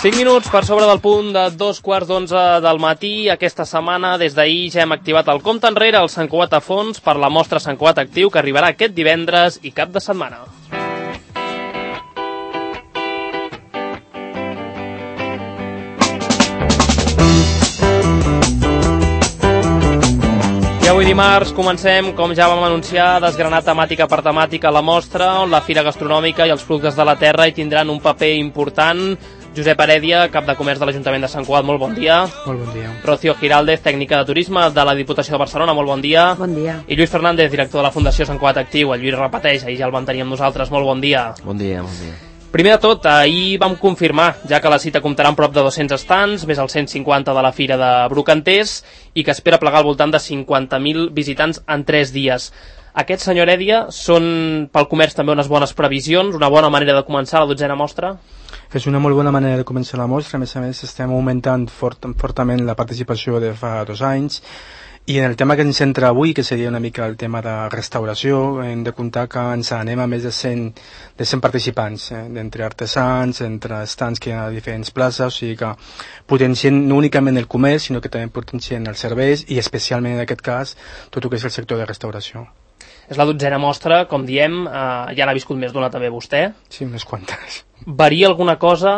5 minuts per sobre del punt de 2:15 del matí. Aquesta setmana, des d'ahir, ja hem activat el compte enrere al Sant Cugat a fons per la mostra Sant Cugat Actiu, que arribarà aquest divendres i cap de setmana. I avui dimarts comencem, com ja vam anunciar, a desgranar temàtica per temàtica la mostra, on la Fira Gastronòmica i els productes de la terra hi tindran un paper important. Josep Heredia, cap de comerç de l'Ajuntament de Sant Cugat, molt bon dia. Molt bon dia. Rocío Giraldez, tècnica de turisme de la Diputació de Barcelona, molt bon dia. Bon dia. I Lluís Fernández, director de la Fundació Sant Cugat Actiu. El Lluís repeteix, ahir ja el vam tenir amb nosaltres, molt bon dia. Bon dia, bon dia. Primer de tot, ahir vam confirmar, ja que la cita comptarà amb prop de 200 estants, més els 150 de la Fira de Brocanters, i que espera plegar al voltant de 50.000 visitants en 3 dies. Aquests, senyor Heredia, són pel comerç també unes bones previsions, una bona manera de començar la 12a mostra? És una molt bona manera de començar la mostra. A més, estem augmentant fortament la participació de fa 2 anys. I en el tema que ens centra avui, que seria una mica el tema de restauració, hem de comptar que ens anem a més de 100 participants, d'entre artesans, entre estants que hi ha a diferents places, o sigui que potencien no únicament el comerç, sinó que també potencien els serveis i especialment en aquest cas tot el que és el sector de restauració. És la 12a mostra, com diem, ja n'ha viscut més d'una també vostè. Sí, unes quantes. Varia alguna cosa?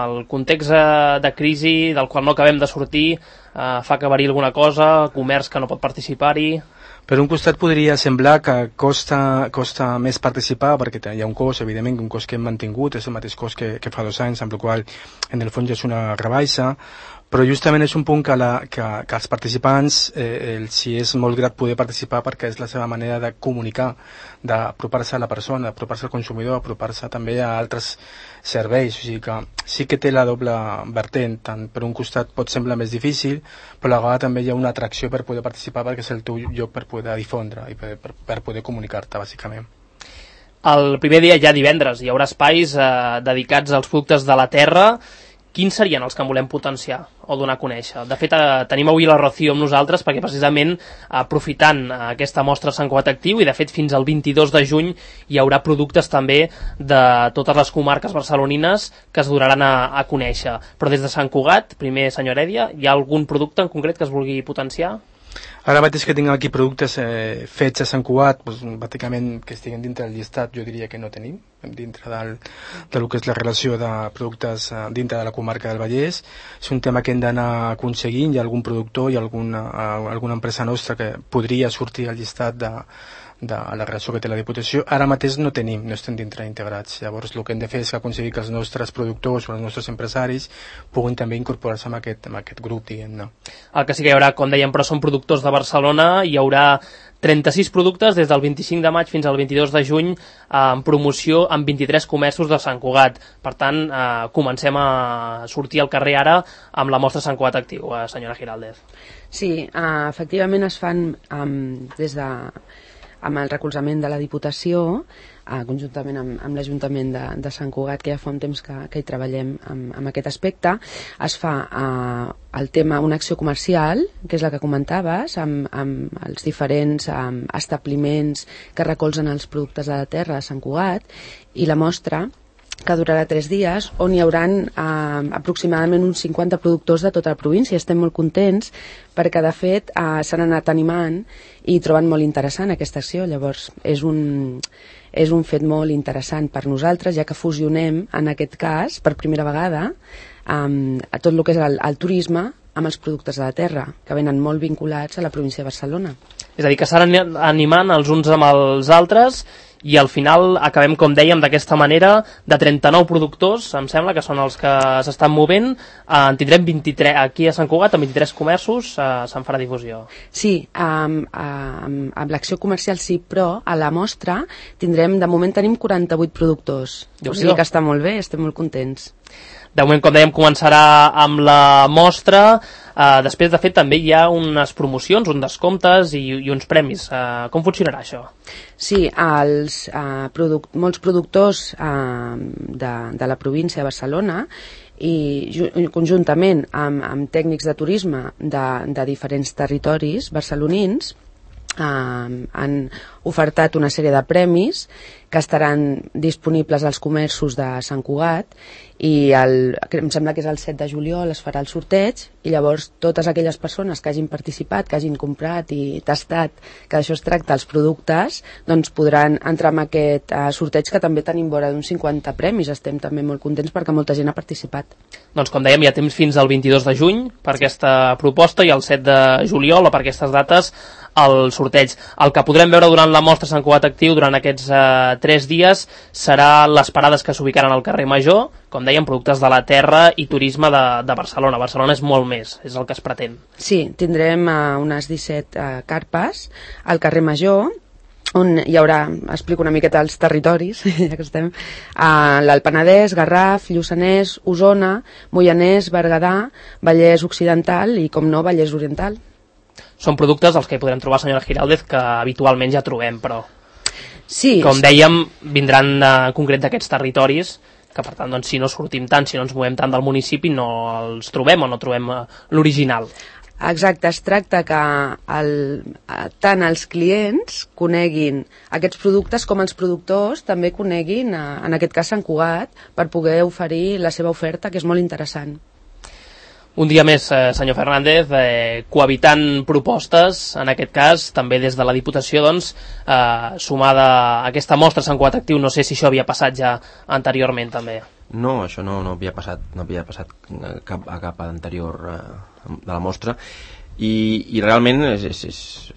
El context de crisi del qual no acabem de sortir fa que variï alguna cosa? Comerç que no pot participar-hi? Per un costat podria semblar que costa més participar perquè hi ha un cost, evidentment, un cost que hem mantingut, és el mateix cost que fa 2 anys, amb la qual en el fons ja és una rebaixa, però justament és un punt que els participants si és molt grat poder participar perquè és la seva manera de comunicar, d'apropar-se a la persona, apropar-se al consumidor, apropar-se també a altres serveis, o sigui que sí que té la doble vertent, tant per un costat pot semblar més difícil, però a la vegada també hi ha una atracció per poder participar perquè és el teu lloc per poder difondre i per poder comunicar-te, bàsicament. El primer dia, ja divendres, hi haurà espais dedicats als productes de la terra. Quins serien els que en volem potenciar o donar a conèixer? De fet, tenim avui la Rocío amb nosaltres perquè precisament aprofitant aquesta mostra Sant Cugat Actiu i de fet fins al 22 de juny hi haurà productes també de totes les comarques barcelonines que es donaran a conèixer. Però des de Sant Cugat, primer senyor Heredia, hi ha algun producte en concret que es vulgui potenciar? Ara mateix que tinc aquí productes fets a Sant Cugat, doncs, bàsicament que estiguen dintre del llistat, jo diria que no tenim, dintre del que és la relació de productes dintre de la comarca del Vallès. És un tema que hem d'anar aconseguint. Hi ha algun productor i alguna empresa nostra que podria sortir al llistat de la relació que té la Diputació. Ara mateix no tenim, no estem dintre integrats. Llavors el que hem de fer és aconseguir que els nostres productors o els nostres empresaris puguin també incorporar-se en aquest grup, diguem-ne. El que sí que hi haurà, com dèiem, però són productors de Barcelona. Hi haurà 36 productes des del 25 de maig fins al 22 de juny en promoció en 23 comerços de Sant Cugat. Per tant, comencem a sortir al carrer ara amb la mostra Sant Cugat Actiu, senyora Giraldez. Sí, efectivament es fan amb el recolzament de la Diputació, conjuntament amb l'Ajuntament de Sant Cugat, que ja fa un temps que hi treballem amb aquest aspecte. Es fa el tema, una acció comercial, que és la que comentaves, amb els diferents establiments que recolzen els productes de la terra de Sant Cugat, i la mostra que durarà 3 dies, on hi haurà aproximadament uns 50 productors de tota la província. Estem molt contents perquè, de fet, s'han anat animant i troben molt interessant aquesta acció. Llavors, és un fet molt interessant per nosaltres, ja que fusionem, en aquest cas, per primera vegada, a tot el que és el turisme amb els productes de la terra, que venen molt vinculats a la província de Barcelona. És a dir, que s'han animant els uns amb els altres i al final acabem, com dèiem, d'aquesta manera, de 39 productors, em sembla que són els que s'estan movent. En tindrem 23 aquí a Sant Cugat, amb 23 comerços, se'n farà difusió. Sí, amb l'acció comercial sí, però a la mostra de moment tenim 48 productors. O sigui que està molt bé, estem molt contents. De moment, com dèiem, començarà amb la mostra. Després, de fet, també hi ha unes promocions, uns descomptes i uns premis. Com funcionarà això? Sí, molts productors de la província de Barcelona i conjuntament amb tècnics de turisme de diferents territoris barcelonins han ofertat una sèrie de premis que estaran disponibles als comerços de Sant Cugat i em sembla que és el 7 de juliol es farà el sorteig i llavors totes aquelles persones que hagin participat, que hagin comprat i tastat, que d'això es tracta els productes, doncs podran entrar en aquest sorteig que també tenim vora d'uns 50 premis. Estem també molt contents perquè molta gent ha participat. Doncs com dèiem, hi ha temps fins al 22 de juny per aquesta proposta i el 7 de juliol o per aquestes dates el sorteig. El que podrem veure durant la mostra Sant Cugat Actiu durant aquests 3 dies serà les parades que s'ubicaran al carrer Major, com dèiem, productes de la terra i turisme de Barcelona. Barcelona és molt més, és el que es pretén. Sí, tindrem unes 17 carpes al carrer Major, on hi haurà, explico una miqueta els territoris, ja que estem, l'Alt Penedès, Garraf, Lluçanès, Osona, Moianès, Berguedà, Vallès Occidental i, com no, Vallès Oriental. Són productes els que hi podrem trobar, senyora Giraldez, que habitualment ja trobem, però sí, com dèiem, vindran en concret d'aquests territoris, que per tant, doncs, si no sortim tant, si no ens movem tant del municipi, no els trobem o no trobem l'original. Exacte, es tracta que tant els clients coneguin aquests productes com els productors també coneguin, en aquest cas Sant Cugat, per poder oferir la seva oferta, que és molt interessant. Un dia més, senyor Fernández, cohabitant propostes, en aquest cas, també des de la Diputació, doncs, sumada a aquesta mostra Sant Cugat Actiu, no sé si això havia passat ja anteriorment, també. No, això no havia passat a cap anterior de la mostra, i realment és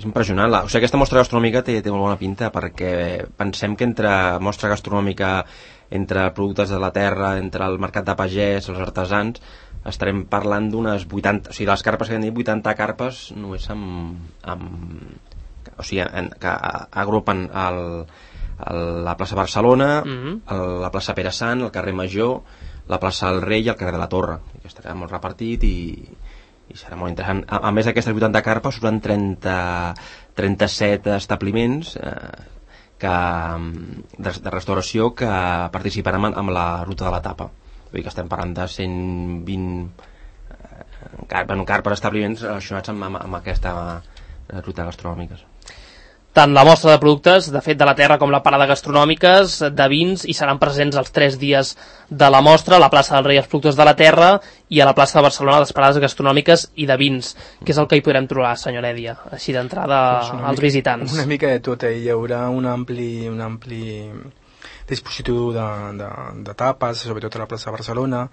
impressionant. O sigui, aquesta mostra gastronòmica té molt bona pinta, perquè pensem que entre mostra gastronòmica, entre productes de la terra, entre el mercat de pagès, els artesans, estarem parlant d'unes 80, o sigui, les carpes que hem dit, 80 carpes només o sigui, que agrupen la plaça Barcelona, la plaça Pere Sant, el carrer Major, la plaça del Rei i el carrer de la Torre, que estarà molt repartit i serà molt interessant. A més d'aquestes 80 carpes seran 37 establiments de restauració que participaran amb la ruta de la tapa. Vull dir que estem parlant de 120 carpes establiments relacionats amb aquesta ruta gastronòmiques. Tant la mostra de productes, de fet, de la terra com la parada gastronòmiques, de vins, i seran presents els 3 dies de la mostra, a la plaça del Rei els productes de la terra i a la plaça de Barcelona les parades gastronòmiques i de vins, que és el que hi podrem trobar, senyor Èdia, així d'entrada als visitants. Una mica de tot, hi haurà un ampli dispositiu de tapes, sobretot a la plaça de Barcelona,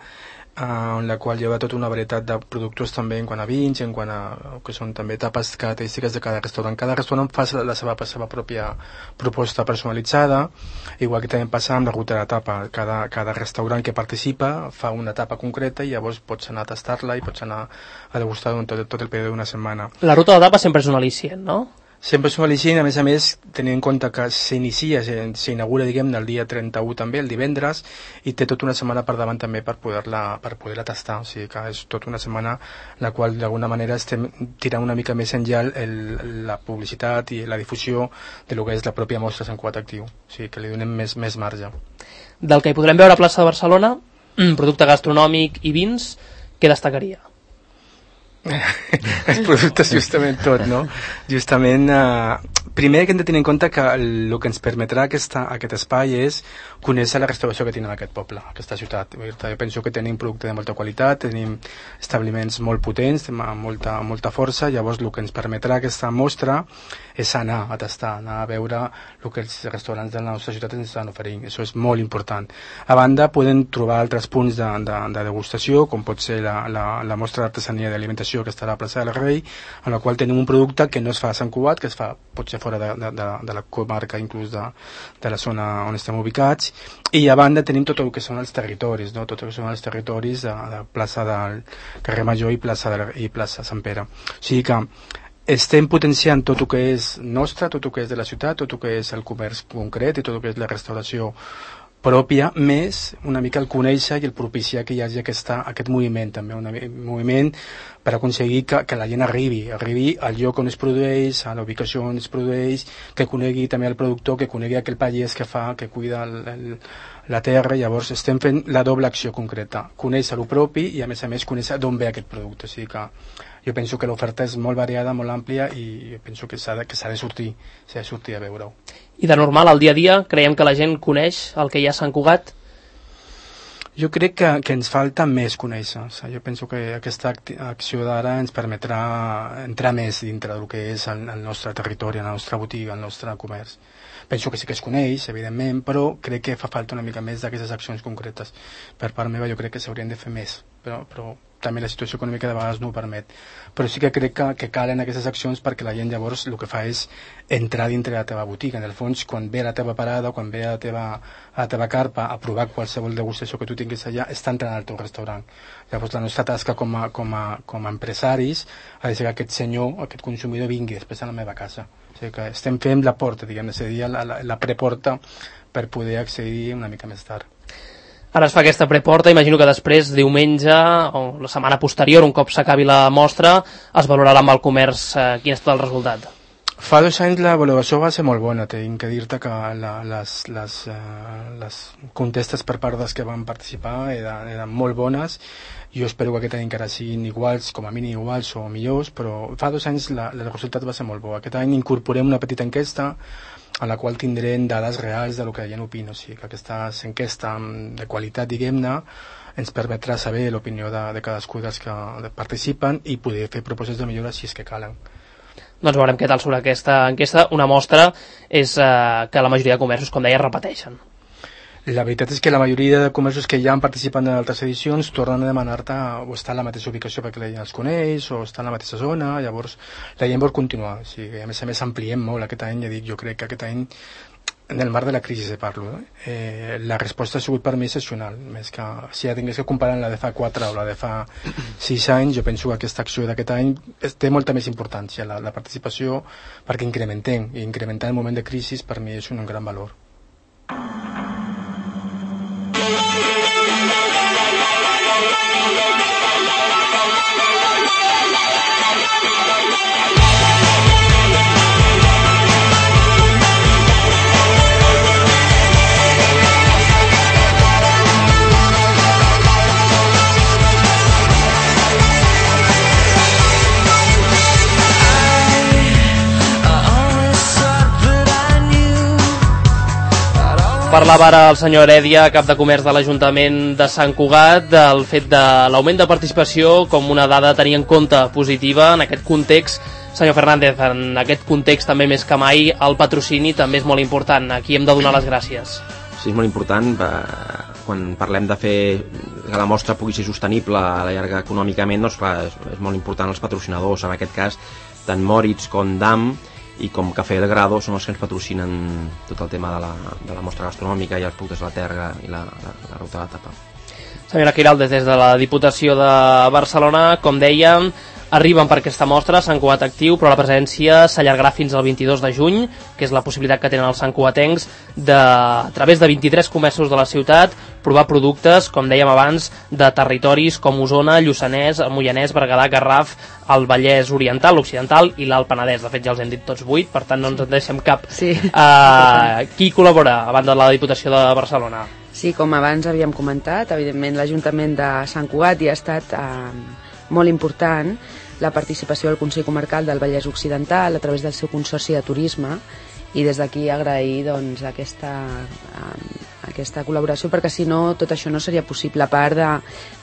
en la qual hi ha tota una varietat de productes també en quant a vins, en quant a que són també tapes característiques de cada restaurant. Cada restaurant fa la seva pròpia proposta personalitzada, igual que també passa amb la ruta de tapa. Cada restaurant que participa fa una tapa concreta i llavors pots anar a tastar-la i pots anar a degustar tot el període d'una setmana. La ruta de tapa sempre és un al·licient, no? Sempre són al·licient, a més, tenint en compte que s'inaugura, diguem-ne, el dia 31 també, el divendres, i té tota una setmana per davant també per poder-la tastar. O sigui que és tota una setmana en la qual d'alguna manera estem tirant una mica més enllà la publicitat i la difusió de lo que és la pròpia mostra Sant Cugat Actiu. O sigui que li donem més marge. Del que hi podrem veure a plaça de Barcelona, producte gastronòmic i vins, què destacaria? Els productes, justament tot, no? Justament, primer que hem de tenir en compte que el que ens permetrà aquest espai és conèixer la restauració que tenim en aquest poble, aquesta ciutat. Jo penso que tenim producte de molta qualitat, tenim establiments molt potents, amb molta força, llavors el que ens permetrà aquesta mostra és anar a tastar, anar a veure el que els restaurants de la nostra ciutat ens estan oferint. Això és molt important. A banda, podem trobar altres punts de degustació, com pot ser la mostra d'artesania d'alimentació que estarà a la plaça del Rei, en la qual tenim un producte que no es fa a Sant Cugat, que es fa potser fora de la comarca, inclús de la zona on estem ubicats, i a banda tenim tot el que són els territoris, no? Tot el que són els territoris de plaça del carrer Major i plaça Sant Pere. O sigui que estem potenciant tot el que és nostre, tot el que és de la ciutat, tot el que és el comerç concret i tot el que és la restauració pròpia, més una mica el conèixer i el propiciar que hi hagi aquest moviment també, un moviment per aconseguir que la gent arribi al lloc on es produeix, a la ubicació on es produeix, que conegui també el productor, que conegui aquell pagès que fa, que cuida la terra. Llavors estem fent la doble acció concreta, conèixer el propi i a més conèixer d'on ve aquest producte. O sigui que jo penso que l'oferta és molt variada, molt àmplia, i penso que s'ha de sortir a veure-ho. I de normal, al dia a dia, creiem que la gent coneix el que hi ha a Sant Cugat? Jo crec que ens falta més conèixer. O sigui, jo penso que aquesta acció d'ara ens permetrà entrar més dintre del que és el nostre territori, la nostra botiga, el nostre comerç. Penso que sí que es coneix, evidentment, però crec que fa falta una mica més d'aquestes accions concretes. Per part meva jo crec que s'haurien de fer més, però també la situació econòmica de vegades no ho permet. Però sí que crec que calen aquestes accions perquè la gent llavors el que fa és entrar dintre la teva botiga. En el fons, quan ve a la teva parada, quan ve a la teva carpa a provar qualsevol degustació que tu tinguis allà, està entrant al teu restaurant. Llavors la nostra tasca com a empresaris ha de ser que aquest senyor, aquest consumidor vingui després a la meva casa. O sigui que estem fent la porta, diguem, és a dir, la preporta per poder accedir una mica més tard. Ara es fa aquesta preporta, imagino que després, diumenge o la setmana posterior, un cop s'acabi la mostra, es valorarà amb el comerç quin és tot el resultat. Fa 2 anys la valoració va ser molt bona, tinc que dir-te que les contestes per part dels que van participar eren molt bones. Jo espero que aquest any encara siguin iguals, com a mínim iguals o millors, però fa 2 anys el resultat va ser molt bo. Aquest any incorporem una petita enquesta a la qual tindrem dades reals de lo que la gent opina. O sigui, que aquesta enquesta de qualitat, diguem-ne, ens permetrà saber l'opinió de cadascú dels que participen i poder fer propostes de millora si és que calen. Doncs veurem què tal sobre aquesta enquesta. Una mostra és que la majoria de comerços, com deia, repeteixen. La veritat és que la majoria de comerços que ja han participat en altres edicions tornen a demanar-te o estar a la mateixa ubicació perquè la gent els coneix o estar en la mateixa zona. Llavors la gent vol continuar. O sigui, a més ampliem molt aquest any. Ja dic, jo crec que aquest any, en el marc de la crisi parlo, la resposta ha sigut per mi excepcional. Més que si ja tingués que comparar la de fa 4 o la de fa 6 anys, jo penso que aquesta acció d'aquest any té molta més importància, la participació, perquè incrementem, i incrementar en el moment de crisi per mi és un gran valor. Parlava ara el senyor Heredia, cap de comerç de l'Ajuntament de Sant Cugat, del fet de l'augment de participació com una dada a tenir en compte positiva en aquest context. Senyor Fernández, en aquest context també més que mai el patrocini també és molt important. Aquí hem de donar les gràcies. Sí, és molt important. Quan parlem de fer que la mostra pugui ser sostenible a la llarga econòmicament, doncs clar, és molt important els patrocinadors. En aquest cas, tant Moritz com DAM i com Café del Grado són els que ens patrocinen tot el tema de la mostra gastronòmica i els productes de la terra i la ruta de la tapa. Senyora Quiraldes, des de la Diputació de Barcelona, com dèiem, arriben per aquesta mostra, Sant Cugat Actiu, però la presència s'allargarà fins al 22 de juny, que és la possibilitat que tenen els santcugatencs a través de 23 comerços de la ciutat, provar productes, com dèiem abans, de territoris com Osona, Lluçanès, el Moianès, Berguedà, Garraf, el Vallès Oriental, l'Occidental i l'Alt Penedès. De fet, ja els hem dit tots 8, per tant no ens en deixem cap. Sí. Qui col·labora a banda de la Diputació de Barcelona? Sí, com abans havíem comentat, evidentment l'Ajuntament de Sant Cugat hi ha estat molt important la participació del Consell Comarcal del Vallès Occidental a través del seu Consorci de Turisme, i des d'aquí agrair doncs, aquesta col·laboració, perquè si no tot això no seria possible, a part de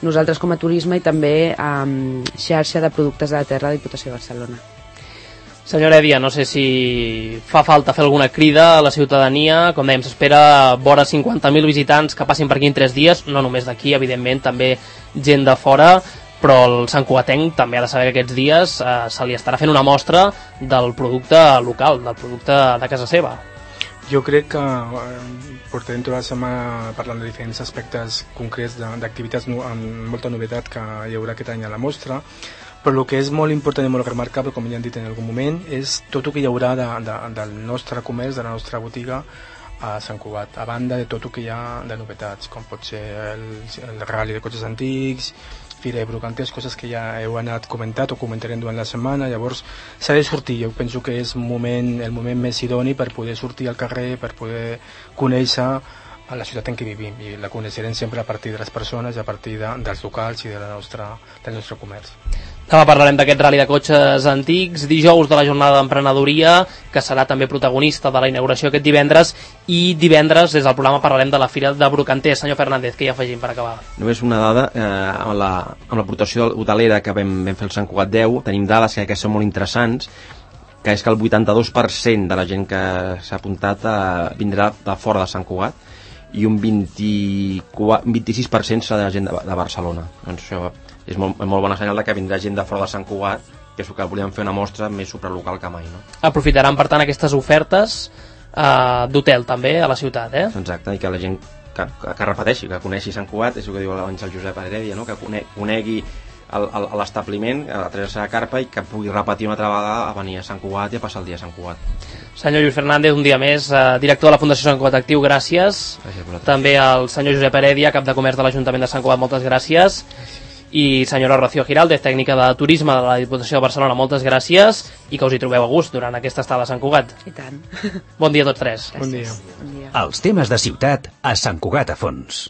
nosaltres com a turisme i també xarxa de productes de la terra de la Diputació de Barcelona. Senyor Heredia, no sé si fa falta fer alguna crida a la ciutadania. Com dèiem, s'espera vora 50.000 visitants que passin per aquí en 3 dies, no només d'aquí, evidentment, també gent de fora, però el santcugatenc també ha de saber que aquests dies se li estarà fent una mostra del producte local, del producte de casa seva. Jo crec que portarem tota la setmana parlant de diferents aspectes concrets d'activitats amb molta novetat que hi haurà aquest any a la mostra, però el que és molt important i molt remarcable, com ja han dit en algun moment, és tot el que hi haurà del nostre comerç, de la nostra botiga, a Sant Cugat, a banda de tot el que hi ha de novetats, com pot ser el rally de cotxes antics, Fira de Brocanters, coses que ja heu anat comentat o comentarem durant la setmana. Llavors s'ha de sortir, jo penso que és el moment més idoni per poder sortir al carrer, per poder conèixer a la ciutat en què vivim, i la coneixerem sempre a partir de les persones, a partir dels locals i del nostre comerç. Demà parlarem d'aquest rally de cotxes antics, dijous de la jornada d'emprenedoria, que serà també protagonista de la inauguració aquest divendres, i divendres des del programa parlarem de la Fira de Brocanters. Senyor Fernández, què hi afegim per acabar? Només una dada, amb l'aportació hotelera que vam fer el Sant Cugat 10, tenim dades que són molt interessants, que és que el 82% de la gent que s'ha apuntat vindrà de fora de Sant Cugat, i un 26% serà de la gent de Barcelona. Doncs això és molt bona senyal de que vindrà gent de fora de Sant Cugat, que és el que volíem fer una mostra més supralocal que mai, no? Aprofitaran, per tant, aquestes ofertes d'hotel també a la ciutat, eh? Exacte, i que la gent que repeteixi, que coneixi Sant Cugat, és el que diu abans el Josep Heredia, no? Que conegui l'establiment, a Teresa de Carpa, i que pugui repetir una altra vegada a venir a Sant Cugat i a passar el dia a Sant Cugat. Senyor Lluís Fernández, un dia més, director de la Fundació Sant Cugat Actiu, gràcies. També al senyor Josep Heredia, cap de comerç de l'Ajuntament de Sant Cugat, moltes gràcies. I senyora Rocío Giraldez, tècnica de turisme de la Diputació de Barcelona, moltes gràcies, i que us hi trobeu a gust durant aquesta estada a Sant Cugat. I tant. Bon dia a tots tres. Bon dia. Bon dia. Els temes de ciutat a Sant Cugat a fons.